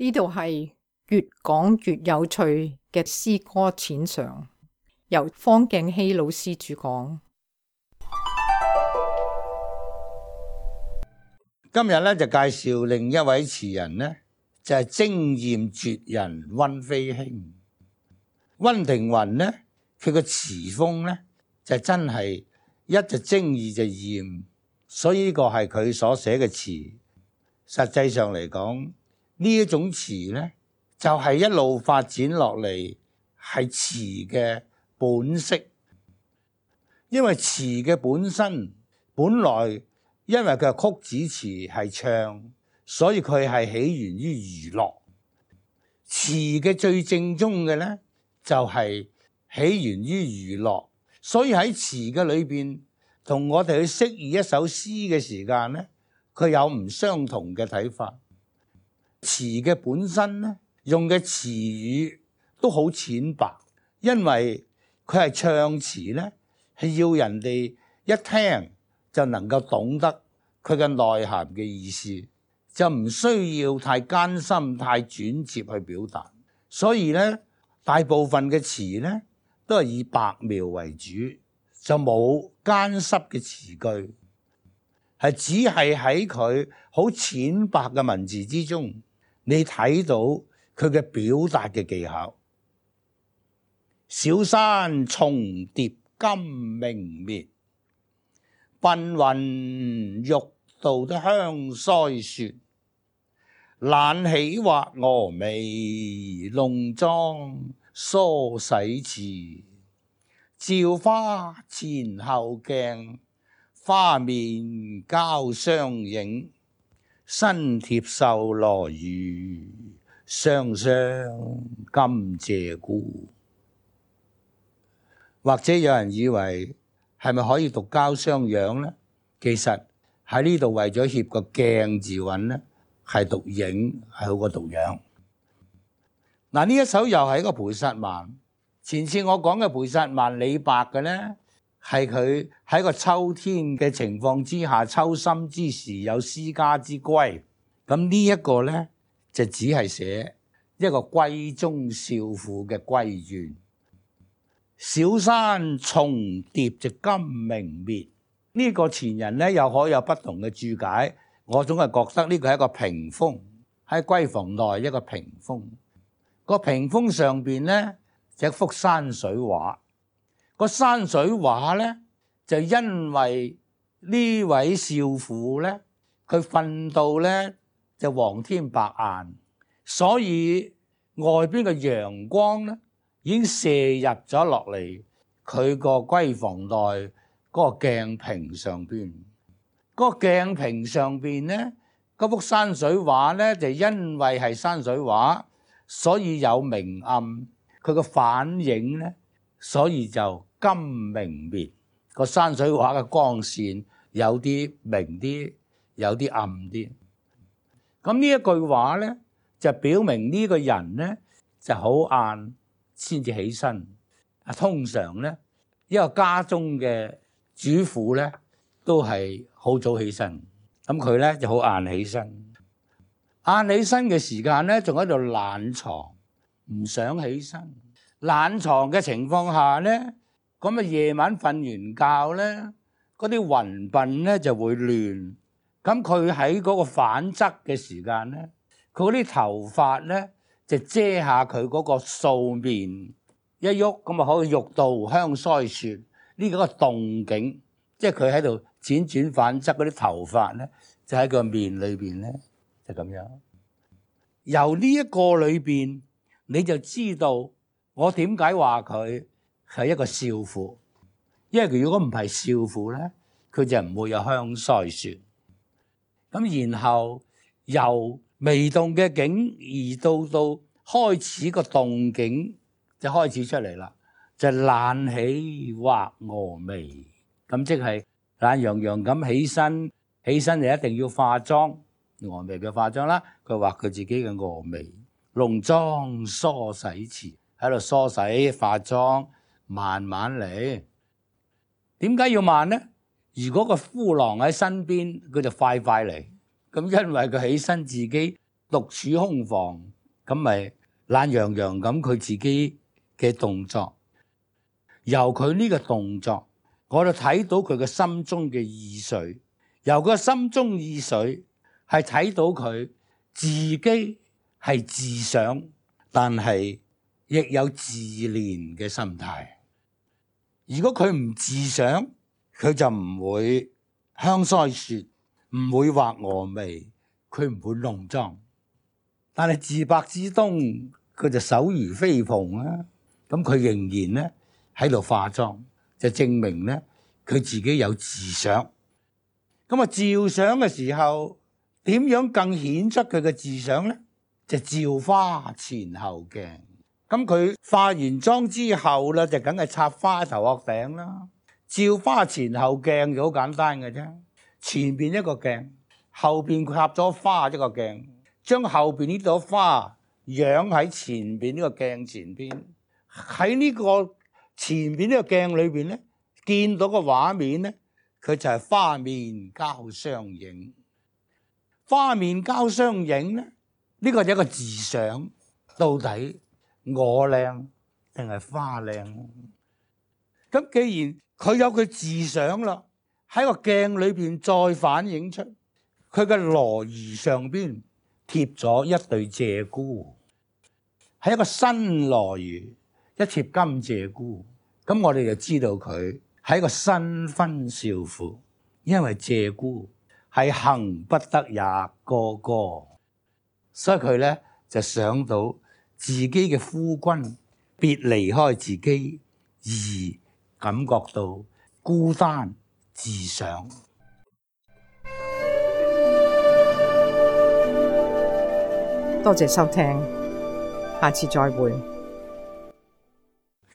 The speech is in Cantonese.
呢度係越講越有趣嘅詩歌淺嘗，由方敬熙老師主講。今日咧就介紹另一位詞人呢，就係精豔絕人溫飛興。溫庭筠呢，佢個詞風呢，就真係一就精，二就豔，所以呢個係佢所寫嘅詞。實際上嚟講，呢一種詞呢，就係一路發展落嚟係詞嘅本色，因為詞嘅本身本來因為佢係曲子詞係唱，所以佢係起源於娛樂。詞嘅最正宗嘅呢，就係起源於娛樂，所以喺詞嘅裏邊同我哋去釋義一首詩嘅時間呢，佢有唔相同嘅睇法。詞嘅本身呢，用嘅詞語都好淺白，因為佢係唱詞呢，係要人哋一聽就能夠懂得佢嘅內涵嘅意思，就唔需要太艱深、太轉接去表達。所以呢，大部分嘅詞呢，都係以白描為主，就冇艱澀嘅詞句，係只係喺佢好淺白嘅文字之中，你睇到佢嘅表達嘅技巧。小山重疊今明滅，繽雲欲度的香腮雪。懶起畫蛾眉，濃妝梳洗遲。照花前後鏡，花面交相映。身貼繡羅襦，雙雙甘謝姑。或者有人以為係咪可以讀交相養呢？其實喺呢度為咗協個鏡字韻呢，係讀影係好過讀樣。嗱，呢一首又係一個菩薩蠻。前次我講嘅菩薩蠻李白嘅呢，係佢喺個秋天嘅情況之下，秋深之時有思家之歸。咁呢一個呢，就只係寫一個閨中少婦嘅閨怨。小山重疊就今明滅，呢個前人呢，又可有不同嘅注解。我總係覺得呢個係一個屏風，喺閨房內一個屏風。個屏風上邊呢，就一幅山水畫。個山水畫呢，就因為呢位少婦呢，佢瞓到呢，就黃天白晏，所以外邊嘅陽光呢，已經射入咗落嚟佢個閨房內嗰個鏡屏上邊。嗰個鏡屏上邊呢，嗰幅山水畫呢，就因為係山水畫，所以有明暗，佢個反映呢，所以就今明滅。個山水畫嘅光線有啲明啲，有啲暗啲。咁呢一句話呢，就表明呢個人呢，就好晏先至起身。通常呢，一個家中嘅主婦呢，都係好早起身。咁佢呢，就好晏起身。晏起身嘅時間呢，仲喺度懶床，唔想起身。懶床嘅情況下呢，咁啊夜晚瞓完覺呢，嗰啲雲鬢呢就會亂。咁佢喺嗰個反側嘅時間呢，佢嗰啲頭髮呢就遮下佢嗰個素面，一喐咁啊可以欲度香腮雪。呢個動靜，即係佢喺度輾轉反側嗰啲頭髮呢，就喺個面裏邊呢，就咁樣。由呢一個裏邊，你就知道我點解話佢係一個少婦，因為佢如果唔係少婦呢，佢就唔會有香腮雪。咁然後由微動嘅景移到開始個動景就開始出嚟啦，就懶起畫蛾眉。咁即係懶洋洋咁起身就一定要化妝，蛾眉嘅化妝啦。佢畫佢自己嘅蛾眉，濃妝梳洗遲，喺度梳洗化妝，慢慢嚟。點解要慢呢？如果個夫郎喺身邊，佢就快嚟。咁因為佢起身自己獨處空房，咁咪懶洋洋咁佢自己嘅動作。由佢呢個動作，我哋睇到佢嘅心中嘅意緒。由佢嘅心中意緒係睇到佢自己係自想，但係亦有自憐嘅心態。如果佢唔自想，佢就唔會香腮雪，唔會畫蛾眉，佢唔會濃妝。但係自白之東，佢就手如飛蓬啦。咁佢仍然咧喺度化妝，就證明咧佢自己有自想。咁啊，照相嘅時候點樣更顯出佢嘅自想咧？就照花前後鏡。咁佢化完妝之後咧，就梗係插花頭殼頂啦。照花前後鏡就好簡單嘅啫，前邊一個鏡，後邊插咗花一個鏡，將後邊呢朵花養喺前邊呢個鏡前邊。喺呢個前邊呢個鏡裏邊咧，見到個畫面咧，佢就係花面交相映。花面交相映咧，呢個係一個自想，到底我靚定係花靚？咁既然佢有佢自想啦，喺個鏡裏邊再反映出佢嘅羅襦上邊貼咗一對鷓鴣，係一個新羅襦，一貼金鷓鴣。咁我哋就知道佢係一個新婚少婦，因為鷓鴣係行不得也哥哥，所以佢咧就想到自己嘅夫君別離開自己，而感覺到孤單自想。多謝收聽，下次再會。